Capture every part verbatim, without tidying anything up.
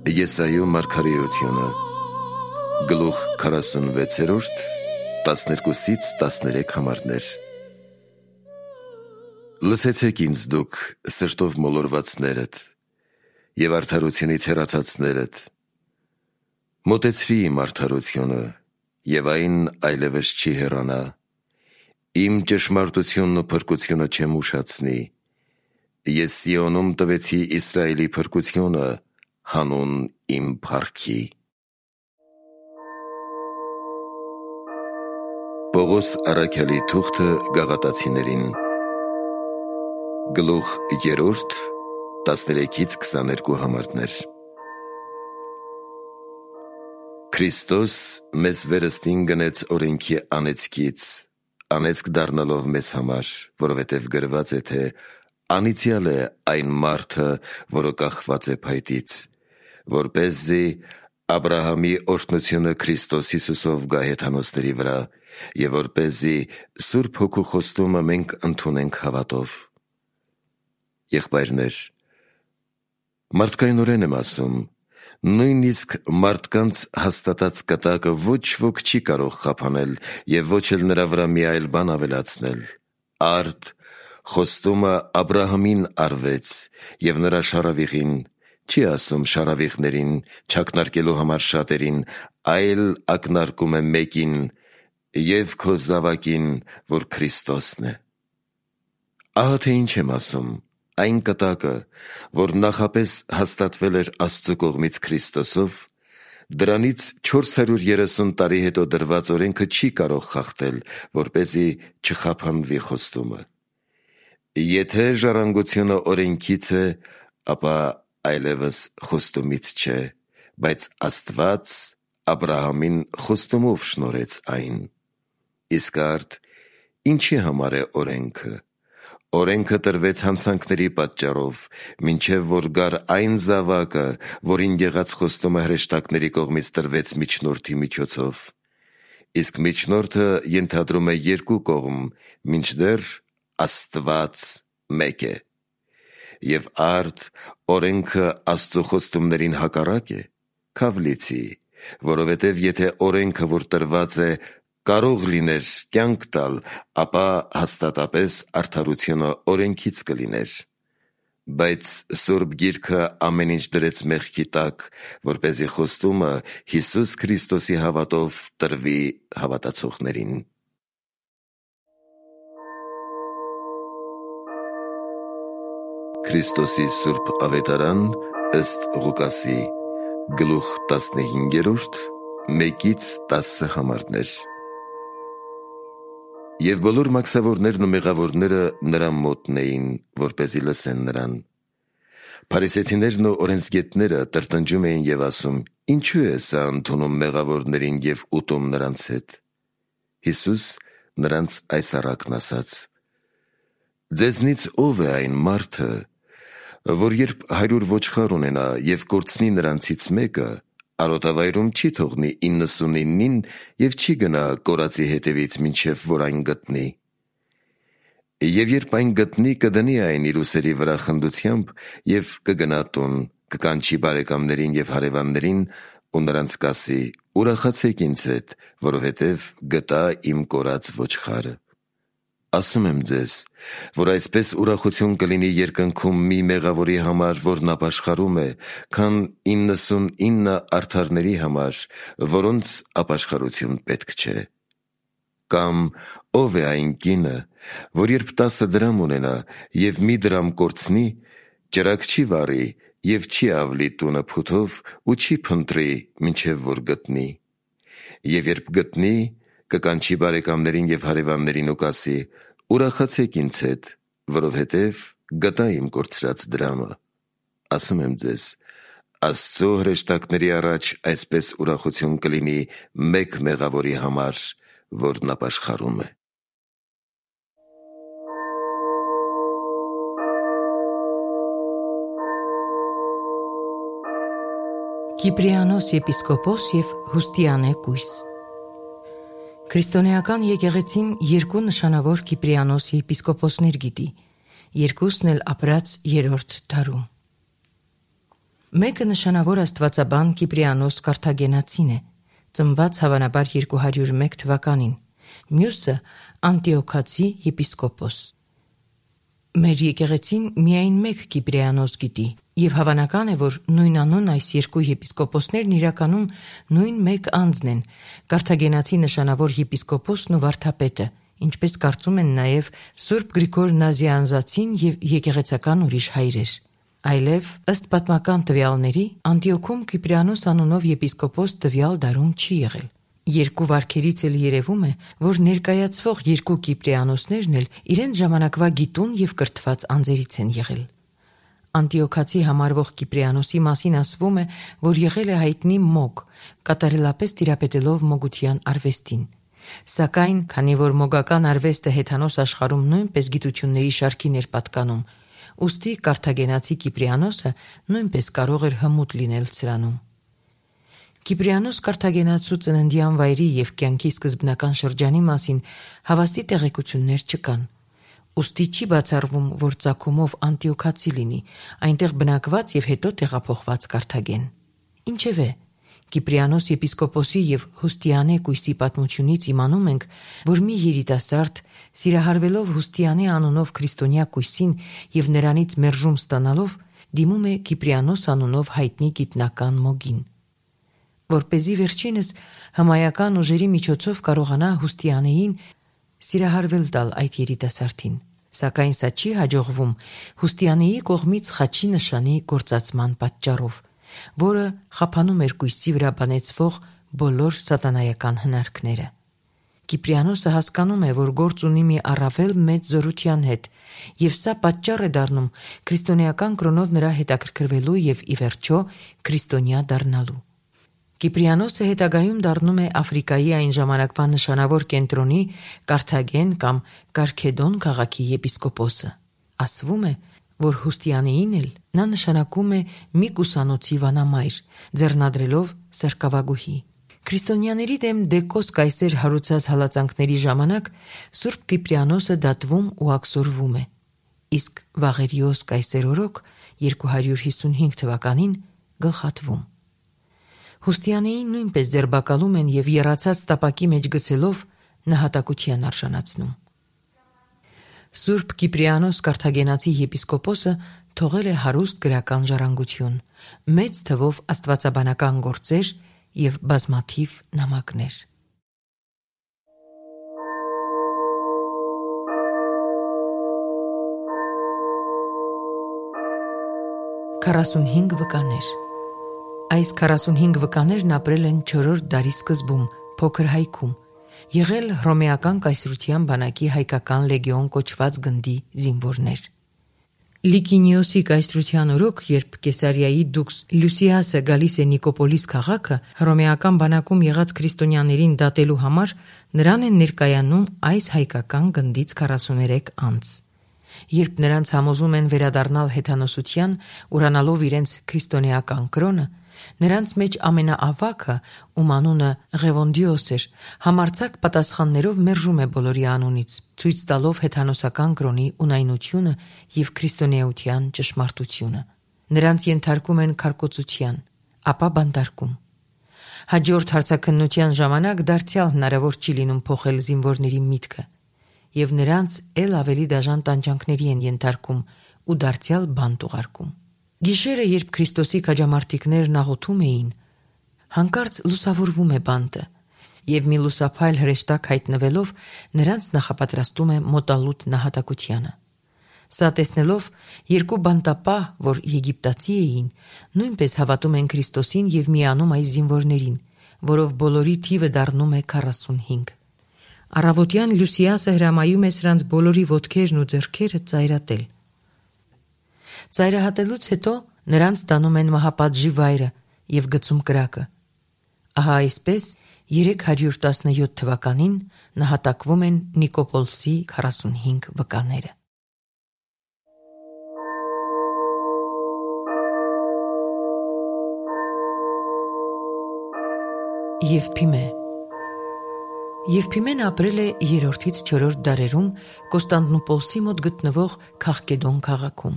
Եսայու մարգարեությունը, գլուխ քառասունվեցերորդ, տասներկուսից տասներեք համարներ։ Լսեցեք ինձ դուք սրտով մոլորվածներդ և արդարությունից հեռացածներդ, մոտեցրի իմ արդարությունը, և այն այլևս չի հեռանա, իմ ճշմարտությունն ու փրկությունը չեմ ուշացնի, ես Սիոնում տվեցի Իսրայելի փրկությունը, հանուն իմ փառքի։ Պողոս առաքյալի թուղթը Գաղատացիներին, գլուխ երրորդ, տասներեքից քսաներկու համարներ։ Քրիստոս մեզ վերստին գնեց օրենքի անեծքից, անեծք դառնալով մեզ համար, որովհետև գրված է, թե անիծյալ է այն մարդը, որը կախված է փայտից, որպեսզի Աբրահամի օրհնությունը Քրիստոս Հիսուսով գա հեթանոսների վրա, և որպեսզի Սուրբ Հոգու խոստումը մենք ընդունենք հավատով։ Եղբայրներ, մարդկայնորեն եմ ասում, նույնիսկ մարդկանց հաստատած կտակը ոչ ոք չի կարող խափանել և ոչ էլ նրա վրա մի այլ բան ավելացնել։ Արդ խոստումը Աբրահամին արվեց և նրա շարավիղին, չի ասում շարավիղներին, չակնարկելու համար շատերին, այլ ակնարկում է մեկին, և քո զավակին, որ Քրիստոսն է։ Ահա թե ինչ եմ ասում, այն կտակը, որ նախապես հաստատվել էր Աստծու կողմից Քրիստոսով, դրանից չորս հարյուր երեսուն տարի հետո դրված օրենքը չի կարող խախտել, որպեսզի չխափանվի խոստումը։ Եթե ժառանգությունը օրենքից է, ապա այլևս խոստումից չէ, բայց Աստված Աբրահամին խոստումով շնորհեց այն։ Իսկ արդ ինչի համար է օրենքը։ Օրենքը տրվեց հանցանքների պատճառով, մինչև որ գար այն զավակը, որին եղած խոստումը հրեշտակների կողմից տրվեց միջնորդի միջոցով։ Իսկ միջնորդը ենթադրում է երկու կողմ, մինչդեռ Աստված մեկ է։ Եվ արդ օրենքը Աստծու խոստումներին հակառակ է, քավ լիցի, որովհետև եթե օրենքը, որ տրված է, կարող լիներ կյանք տալ, ապա հաստատապես արդարությունը օրենքից կլիներ։ Բայց Սուրբ Գիրքը ամեն ինչ դրեց մեղքի տակ, որպեսզի խոստումը Հիսուս Քրիստոսի հավատով տրվի հավատացողներին։ Քրիստոսի Սուրբ Ավետարան ըստ Ղուկասի, գլուխ տասնհինգերորդ, մեկից տասը համարներ։ Եվ բոլոր մաքսավորներն ու մեղավորները նրա մոտն էին, որպեսզի լսեն նրան։ Փարիսեցիներն ու օրենսգետները տրտնջում էին և ասում. «Ինչու է սա ընդունում մեղավորներին և ուտում նրանց հետ»։ Հիսուս նրանց այս առակն ասաց. «Ձեզնից ով է այն մարդը, որ երբ հարյուր ոչխար ունենա և կորցնի նրանցից մեկը, արոտավայրում չի թողնի իննսունիննին և չի գնա կորածի հետևից, մինչև որ այն գտնի։ Եվ երբ այն գտնի, կդնի այն իր ուսերի վրա խնդությամբ և կգնա տուն, կկանչի բարեկամներին և հարևաններին ու նրանց կասի. ուրախացեք ինձ հետ, որովհետև գտա իմ կորած ոչխարը։ Ասում եմ ձեզ, որ այսպես ուրախություն կլինի երկնքում մի մեղավորի համար, որն ապաշխարում է, քան իննսունինը արդարների համար, որոնց ապաշխարություն պետք չէ։ Կամ ով է այն կինը, որ երբ տասը դրամ ունենա և մի դրամ կորցնի, ճրագ չի վառի և չի ավլի տունը փութով ու չի փնտրի, մինչև որ գտնի։ Եվ երբ գտնի, կկանչի բարեկամներին և հարևաններին ու կասի. ուրախացեք ինձ հետ, որովհետև գտա իմ կորցրած դրամը։ Ասում եմ ձեզ, Աստծու հրեշտակների առաջ այսպես ուրախություն կլինի մեկ մեղավորի համար, որն ապաշխարում է։ Կիպրիանոս եպիսկոպոս և Հուստիանե կույս։ Քրիստոնեական եկեղեցին երկու նշանավոր Կիպրիանոս եպիսկոպոսներ գիտի, երկուսն էլ ապրած երրորդ դարում։ Մեկը նշանավոր աստվածաբան Կիպրիանոս Կարթագենացին է, ծնված հավանաբար երկու հարյուր մեկ թվականին, մյուսը Անտիոքացի եպիսկոպոս։ Մեր եկեղեցին միայն մեկ Կիպրիանոս գիտի, եւ հավանական է, որ նույնանուն այս երկու եպիսկոպոսներն իրականում նույն մեկ անձն են, Կարթագենացի նշանավոր եպիսկոպոսն ու վարդապետը, ինչպես կարծում են նաև Սուրբ Գրիգոր Նազիանզացին եւ եկեղեցական ուրիշ հայրեր։ Այլև ըստ պատմական տվյալների Անտիոքում Կիպրիանոս անունով եպիսկոպոս տվյալ դարում չի եղել։ Երկու վարքերից էլ երևում է, որ ներկայացվող երկու Կիպրիանոսներն էլ իրենց ժամանակվա գիտուն եւ կրթված անձերից են եղել։ Անտիոքացի համարվող Կիպրիանոսի մասին ասվում է, որ եղել է հայտնի մոգ, կատարելապես տիրապետելով մոգության արվեստին։ Սակայն, քանի որ մոգական արվեստը հեթանոս աշխարհում նույնպես գիտությունների շարքին էր պատկանում, ուստի Կարթագենացի Կիպրիանոսը նույնպես կարող էր հմուտ լինել սրանում։ Կիպրիանոս Կարթագենացու ծննդյան վայրի եւ կյանքի սկզբնական շրջանի մասին հավաստի տեղեկություններ չկան։ Ուստի չի բացառվում, որ ծագումով Անտիոքացի լինի, այնտեղ բնակված եւ հետո տեղափոխված Կարթագեն։ Ինչևէ, Կիպրիանոս եպիսկոպոսի եւ Հուստիանե կույսի պատմությունից իմանում ենք, որ մի երիտասարդ, սիրահարվելով Հուստիանե անունով քրիստոնյա կույսին եւ նրանից մերժում ստանալով, դիմում է Կիպրիանոս անունով հայտնի գիտնական մոգին, որպեսզի վերջինս հմայական ուժերի միջոցով կարողանա Հուստիանեին սիրահարվել տալ այդ երիտասարդին։ Սակայն սա չի հաջողվում Հուստիանեի կողմից խաչի նշանի գործածման պատճառով, որը խափանում էր կույսի վրա բանեցվող բոլոր սատանայական հնարքները։ Կիպրիանոսը հասկանում է, որ գործ ունի մի առավել մեծ զորության հետ, եւ սա պատճառ է դառնում քրիստոնեական կրոնով նրա հետաքրքրվելու եւ ի վերջո քրիստոնյա դառնալու։ Կիպրիանոսը հետագայում դառնում է Աֆրիկայի այն ժամանակվա նշանավոր կենտրոնի Կարթագեն կամ Կարքեդոն քաղաքի եպիսկոպոսը։ Ասվում է, որ Հուստիանեին էլ նա նշանակում է մի կուսանոցի վանամայր, ձեռնադրելով սրկավագուհի։ Քրիստոնյաների դեմ Դեկոս կայսեր հարուցած հալածանքների ժամանակ Սուրբ Կիպրիանոսը դատվում ու աքսորվում է, իսկ Վաղերիոս կայսեր օրոք երկու հարյուր հիսունհինգ թվականին գլխատվում։ Հուստիանեին նույնպես ձերբակալում են եւ եռացած տապակի մեջ գցելով նահատակության արժանացնում։ Սուրբ Կիպրիանոս Կարթագենացի եպիսկոպոսը թողել է հարուստ գրական ժառանգություն, մեծ թվով աստվածաբանական գործեր եւ բազմաթիվ նամակներ։ քառասունհինգ վկաներ։ Այս քառասունհինգ վկաներն ապրել են չորրորդ դարի սկզբում, փոքր հայքում, եղել հռոմեական կայսրության բանակի հայկական լեգիոն կոչված գնդի զինվորներ։ Լիկինիոսի կայսրության օրոք, երբ Կեսարիայի դուքս Լուսիասը գալիս է Նիկոպոլիս քաղաքը, հռոմեական բանակում եղած քրիստոնյաներին դատելու համար, նրան են ներկայանում այս հայկական գնդից քառասուներեք անձ։ Երբ նրանց համոզում են վերադառնալ հեթանոսության, ուրանալով իրենց քրիստոնեական կրոնը, նրանց մեջ ամենաավագը, ում անունը Ղևոնդիոս էր, համարձակ պատասխաններով մերժում է բոլորի անունից, ցույց տալով հեթանոսական կրոնի ունայնությունը եւ քրիստոնեության ճշմարտությունը։ Նրանց ենթարկում են քարկոծության, ապա բանտարկում։ Հաջորդ հարցաքննության ժամանակ դարձյալ հնարավոր չի լինում փոխել զինվորների միտքը, եւ նրանց ել ավելի դաժան տանջանքների են ենթարկում ու դարձյալ բանտ ուղարկում։ Գիշերը, երբ Քրիստոսի քաջամարտիկներն աղոթում էին, հանկարծ լուսավորվում է բանտը, եւ մի լուսափայլ հրեշտակ հայտնվելով նրանց նախապատրաստում է մոտալուտ նահատակությանը։ Սա տեսնելով, երկու բանտապահ, որ եգիպտացի էին, նույնպես հավատում են Քրիստոսին եւ միանում այս զինվորներին, որով բոլորի թիվը դառնում է քառասունհինգ։ Առավոտյան Լուսիասը հրամայում է սրանց բոլորի ոտքերն ու ձեռքերը ծայրատել։ Ծայրահատելուց հետո նրանց տանում են մահապատժի վայրը եւ գցում կրակը։ Ահա այսպես երեք հարյուր տասնյոթ թվականին նահատակվում են Նիկոպոլսի քառասունհինգ վկաները։ Եվփիմե Եվփիմեն ապրել է երրորդից չորրորդ դարերում Կոստանդնուպոլսի մոտ գտնվող Քաղկեդոն քաղաքում։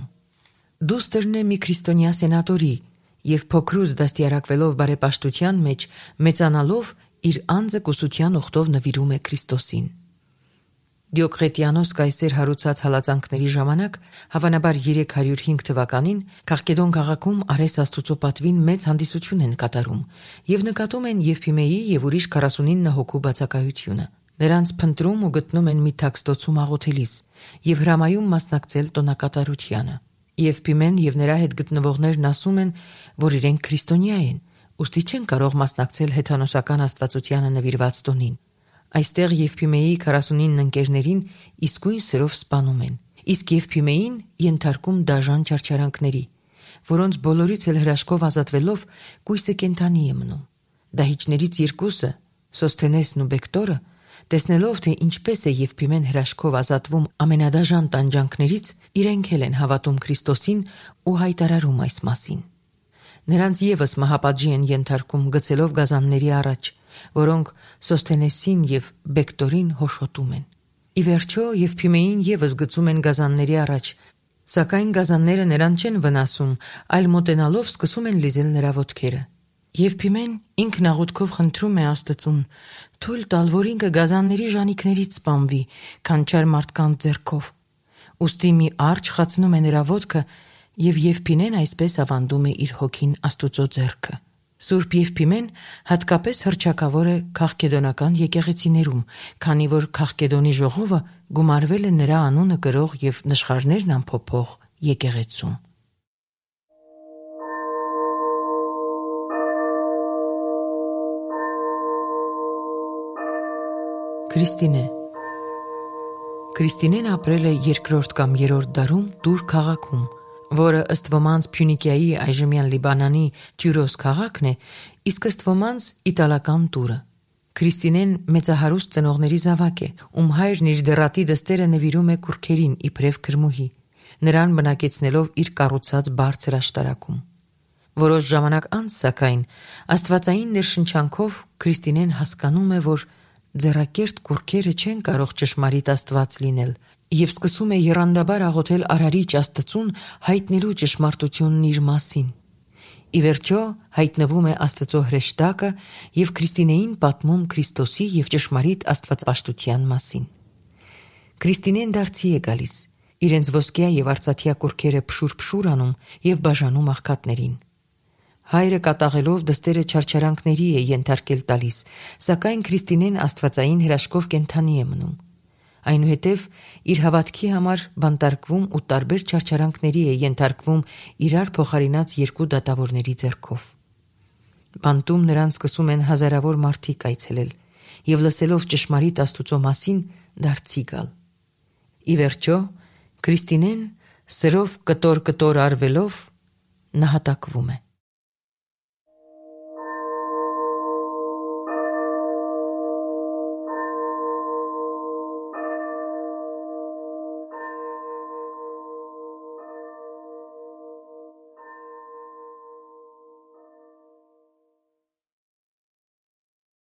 Դուստրն է մի քրիստոնյա սենատորի եւ փոքրուց դաստիարակվելով բարեպաշտության մեջ, մեծանալով իր անձը կուսության ուխտով նվիրում է Քրիստոսին։ Դիոկլետիանոս կայսեր հարուցած հալածանքների ժամանակ, հավանաբար երեք հարյուր հինգ թվականին, Քաղկեդոն քաղաքում Արես Աստուծո պատվին մեծ հանդիսություն են կատարում եւ նկատում են Եվփիմեի եւ ուրիշ քառասունինը հոգու բացակայությունը։ Նրանց փնտրում ու գտնում են մի թաքստոցում աղոթելիս եւ հրամայում մասնակցել տոնակատարությանը։ Եվփիմեն եւ նրա հետ գտնվողներն ասում են, որ իրենք քրիստոնյա են, ուստի չեն կարող մասնակցել հեթանոսական աստվածությանը նվիրված տոնին։ Այստեղ Եվփիմեի քառասունինը ընկերներին իսկույն սրով սպանում են, իսկ Եվփիմեին ենթարկում դաժան չարչարանքների, որոնց բոլորից էլ հրաշքով ազատվելով կույսը կենդանի է մնում։ Դահիճներից երկուսը, Սոսթենեսն ու Բեկտորը, տեսնելով, թե ինչպես է Եվփիմեն հրաշքով ազատվում ամենադաժան տանջանքներից, իրենք էլ են հավատում Քրիստոսին ու հայտարարում այս մասին։ Նրանց ևս մահապատժի են ենթարկում գցելով գազանների առաջ, որոնք Սոսթենեսին եւ Բեկտորին հոշոտում են։ Ի վերջո Եվփիմեին ևս գցում են գազանների առաջ, սակայն գազանները նրան չեն վնասում, այլ մոտենալով սկսում են լիզել նրա ոտքերը։ Եվփիմեն ինքնաղոթքով խնդրում է Աստծուն թույլ տալ, որ ինքը գազանների ժանիքներից սպանվի, քան չար մարդկանց ձեռքով։ Ուստի մի արջ խացնում է նրա ոտքը եւ Եվփիմեն այսպես ավանդում է իր հոգին Աստուծո ձեռքը։ Սուրբ Եվփիմեն հատկապես հռչակավոր է քաղկեդոնական եկեղեցիներում, քանի որ Քաղկեդոնի ժողովը գումարվել է նրա անունը կրող եւ նշխարներն ամփոփող եկեղեցում։ Քրիստինե Քրիստինեն ապրել է երկրորդ կամ երրորդ դարում Տուր քաղաքում, որը ըստ ոմանց Փյունիկիայի այժմյան Լիբանանի Թյուրոս քաղաքն է, իսկ ըստ ոմանց իտալական Տուրը։ Քրիստինեն մեծահարուստ ծնողների զավակ է, ում հայրն իր դեռատի դստերը նվիրում է կուռքերին իբրև քրմուհի, նրան բնակեցնելով իր կառուցած բարձր աշտարակում։ Որոշ ժամանակ անց, սակայն, աստվածային ներշնչանքով Քրիստինեն հասկանում է, որ ձեռակերտ կուռքերը չեն կարող ճշմարիտ Աստված լինել եւ սկսում է եռանդաբար աղոթել Արարիչ Աստծուն հայտնելու ճշմարտությունն իր մասին։ Ի վերջո հայտնվում է Աստծո հրեշտակը եւ Քրիստինեին պատմում Քրիստոսի եւ ճշմարիտ աստվածապաշտության մասին։ Քրիստինեն դարձի է գալիս, իրենց ոսկյա եւ արծաթյա կուռքերը փշուր-փշուր անում եւ բաժանում աղքատներին։ Հայրը կատաղելով դստերը չարչարանքների է ենթարկել տալիս, սակայն Քրիստինեն աստվածային հրաշքով կենդանի է մնում։ Այնուհետև իր հավատքի համար բանտարկվում ու տարբեր չարչարանքների է ենթարկվում իրար փոխարինած երկու դատավորների ձեռքով։ Բանտում նրան սկսում են հազարավոր մարդիկ այցելել եւ լսելով ճշմարիտ Աստուծո մասին դարձի գալ։ Ի վերջո Քրիստինեն սրով կտոր-կտոր արվելով նահատակվում է։